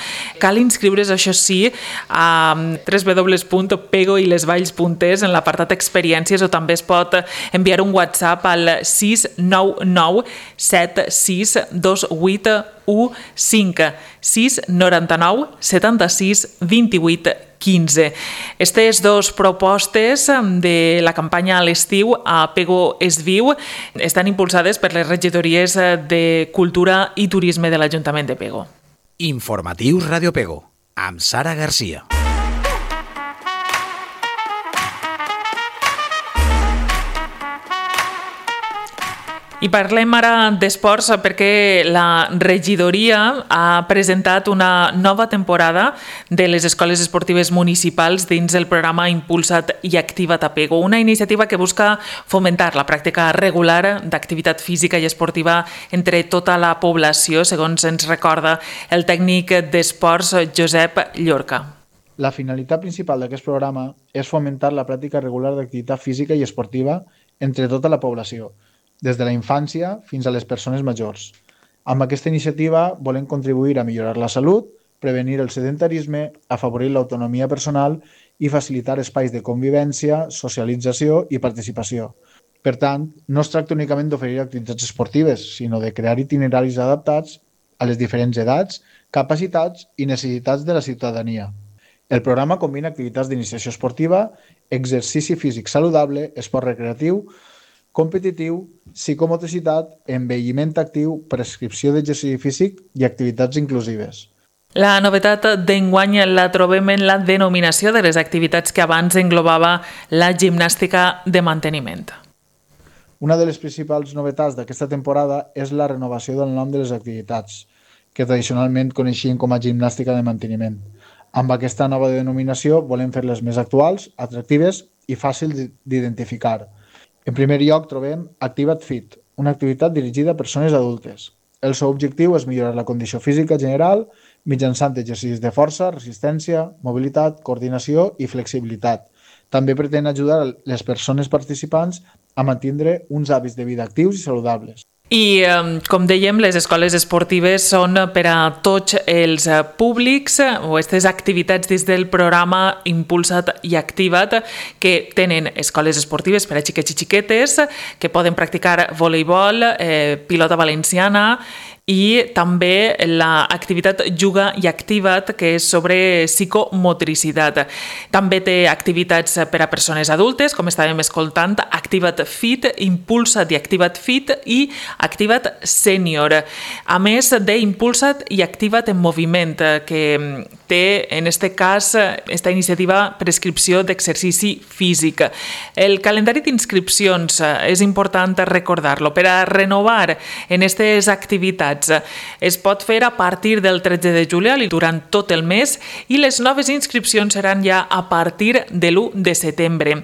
Cal inscriure's, això sí, a w w w punt pego i les valls punt es en l'apartat experiències, o també es pot enviar un WhatsApp al sis nou nou set sis dos vuit u cinc, sis nou nou set sis dos vuit quinze. Aquestes dues propostes de la campanya a l'estiu a Pego es Viu estan impulsades per les regidories de Cultura i Turisme de l'Ajuntament de Pego. Informatius Ràdio Pego, amb Sara Garcia. I parlem ara d'esports perquè la regidoria ha presentat una nova temporada de les escoles esportives municipals dins el programa Impulsa't i Activa't a Pego, una iniciativa que busca fomentar la pràctica regular d'activitat física i esportiva entre tota la població, segons ens recorda el tècnic d'esports Josep Llorca. La finalitat principal d'aquest programa és fomentar la pràctica regular d'activitat física i esportiva entre tota la població, des de la infància fins a les persones majors. Amb aquesta iniciativa volem contribuir a millorar la salut, prevenir el sedentarisme, afavorir l'autonomia personal i facilitar espais de convivència, socialització i participació. Per tant, no es tracta únicament d'oferir activitats esportives, sinó de crear itineraris adaptats a les diferents edats, capacitats i necessitats de la ciutadania. El programa combina activitats d'iniciació esportiva, exercici físic saludable, esport recreatiu, competitiu, psicomotricitat, envelliment actiu, prescripció d'exercici físic i activitats inclusives. La novetat d'enguany la trobem en la denominació de les activitats que abans englobava la gimnàstica de manteniment. Una de les principals novetats d'aquesta temporada és la renovació del nom de les activitats, que tradicionalment coneixien com a gimnàstica de manteniment. Amb aquesta nova denominació volem fer-les més actuals, atractives i fàcils d'identificar. En primer lloc trobem Activa't Fit, una activitat dirigida a persones adultes. El seu objectiu és millorar la condició física general mitjançant exercicis de força, resistència, mobilitat, coordinació i flexibilitat. També pretén ajudar les persones participants a mantenir uns hàbits de vida actius i saludables. I, com dèiem, les escoles esportives són per a tots els públics o aquestes activitats dins del programa Impulsa't i Activa't, que tenen escoles esportives per a xiquets i xiquetes, que poden practicar voleibol, eh, pilota valenciana i també l'activitat Juga i Activa't, que és sobre psicomotricitat. També té activitats per a persones adultes, com estàvem escoltant, Activa't Fit, Impulsa't i Activa't Fit i Activa't Sènior. A més d'Impulsa't i Activa't en moviment, que té, en aquest cas, esta iniciativa prescripció d'exercici físic. El calendari d'inscripcions és important recordar-lo. Per a renovar en aquestes activitats es pot fer a partir del tretze de juliol i durant tot el mes, i les noves inscripcions seran ja a partir de l'u de setembre.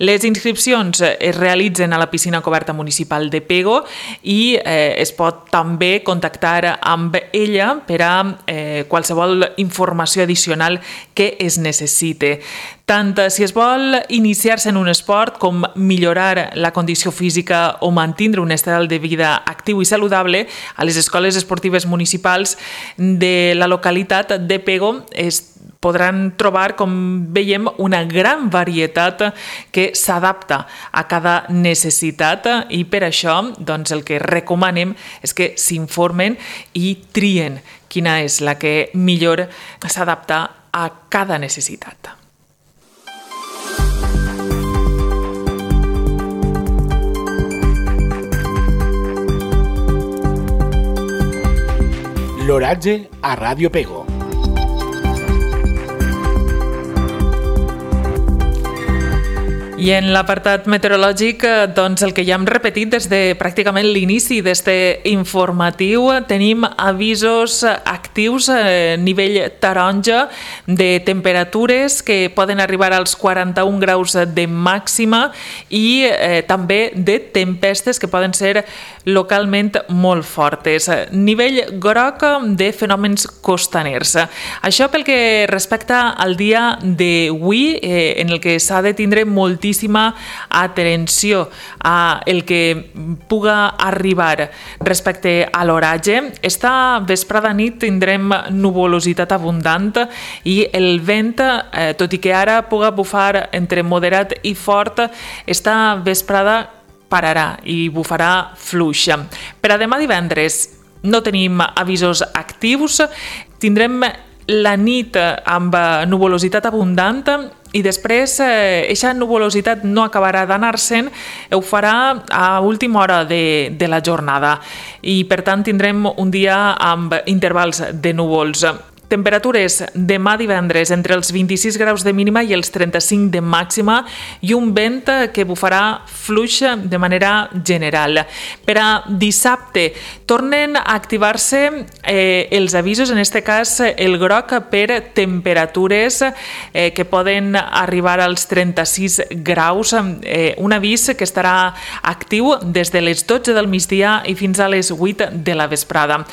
Les inscripcions es realitzen a la piscina coberta municipal de Pego i eh, es pot també contactar amb ella per a eh, qualsevol informació addicional que es necessite. Tant si es vol iniciar-se en un esport com millorar la condició física o mantenir un estil de vida actiu i saludable, a les escoles esportives municipals de la localitat de Pego es podran trobar, com veiem, una gran varietat que s'adapta a cada necessitat, i per això doncs, el que recomanem és que s'informen i trien quina és la que millor s'adapta a cada necessitat. L'oratge a Ràdio Pego. I en l'apartat meteorològic, doncs el que ja hem repetit des de pràcticament l'inici d'este informatiu, tenim avisos actius a nivell taronja de temperatures que poden arribar als quaranta-un graus de màxima i eh, també de tempestes que poden ser localment molt fortes. Nivell groc de fenòmens costaners. Això pel que respecta al dia d'avui, eh, en el que s'ha de tindre moltíssim atenció a el que puga arribar respecte a l'oratge. Esta vesprada nit tindrem nuvolositat abundant i el vent, eh, tot i que ara puga bufar entre moderat i fort, esta vesprada pararà i bufarà fluix. Per a demà divendres no tenim avisos actius, tindrem la nit amb nuvolositat abundant i després aquesta nuvolositat no acabarà d'anar-se'n, ho farà a última hora de, de la jornada i per tant tindrem un dia amb intervals de núvols. Temperatures demà divendres entre els vint-i-sis graus de mínima i els trenta-cinc de màxima i un vent que bufarà fluix de manera general. Per a dissabte tornen a activar-se eh, els avisos, en aquest cas el groc per temperatures eh, que poden arribar als trenta-sis graus, eh, un avís que estarà actiu des de les dotze del migdia i fins a les vuit de la vesprada.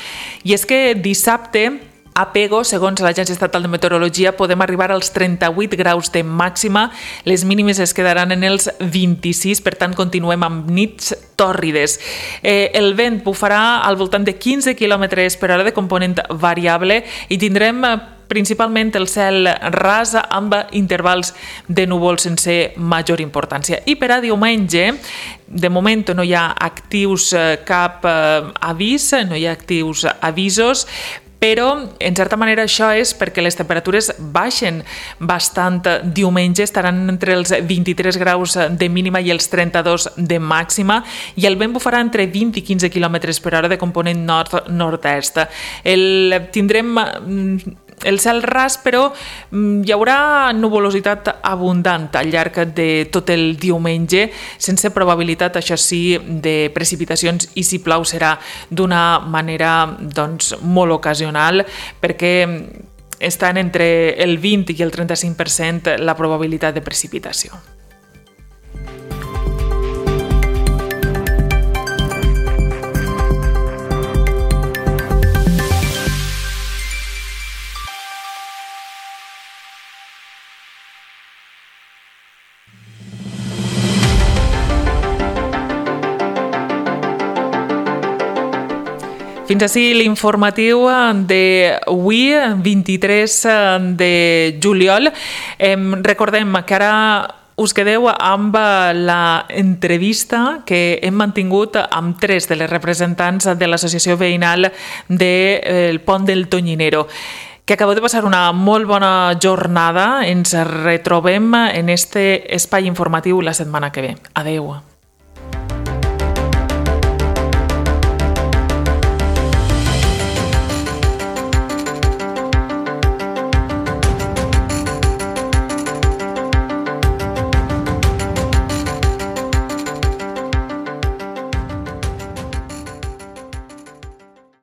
I és que dissabte a Pego, segons l'Agència Estatal de Meteorologia, podem arribar als trenta-vuit graus de màxima, les mínimes es quedaran en els vint-i-sis, per tant continuem amb nits tòrrides. Eh, el vent bufarà al voltant de quinze quilòmetres per hora de component variable i tindrem principalment el cel ras amb intervals de núvols sense major importància. I per a diumenge, de moment no hi ha actius cap avís, no hi ha actius avisos, però, en certa manera, això és perquè les temperatures baixen bastant. Diumenge estaran entre els vint-i-tres graus de mínima i els trenta-dos de màxima i el vent bufarà entre vint i quinze quilòmetres per hora de component nord-nord-est. El, tindrem el cel ras, però hi haurà nuvolositat abundant al llarg de tot el diumenge, sense probabilitat, això sí, de precipitacions i si plau serà d'una manera doncs, molt ocasional, perquè estan entre el vint i el trenta-cinc per cent la probabilitat de precipitació. Fins així l'informatiu d'avui, vint-i-tres de juliol. Recordem que ara us quedeu amb la entrevista que hem mantingut amb tres de les representants de l'associació veïnal del Pont del Tonyinero. Que acabeu de passar una molt bona jornada. Ens retrobem en este espai informatiu la setmana que ve. Adeu.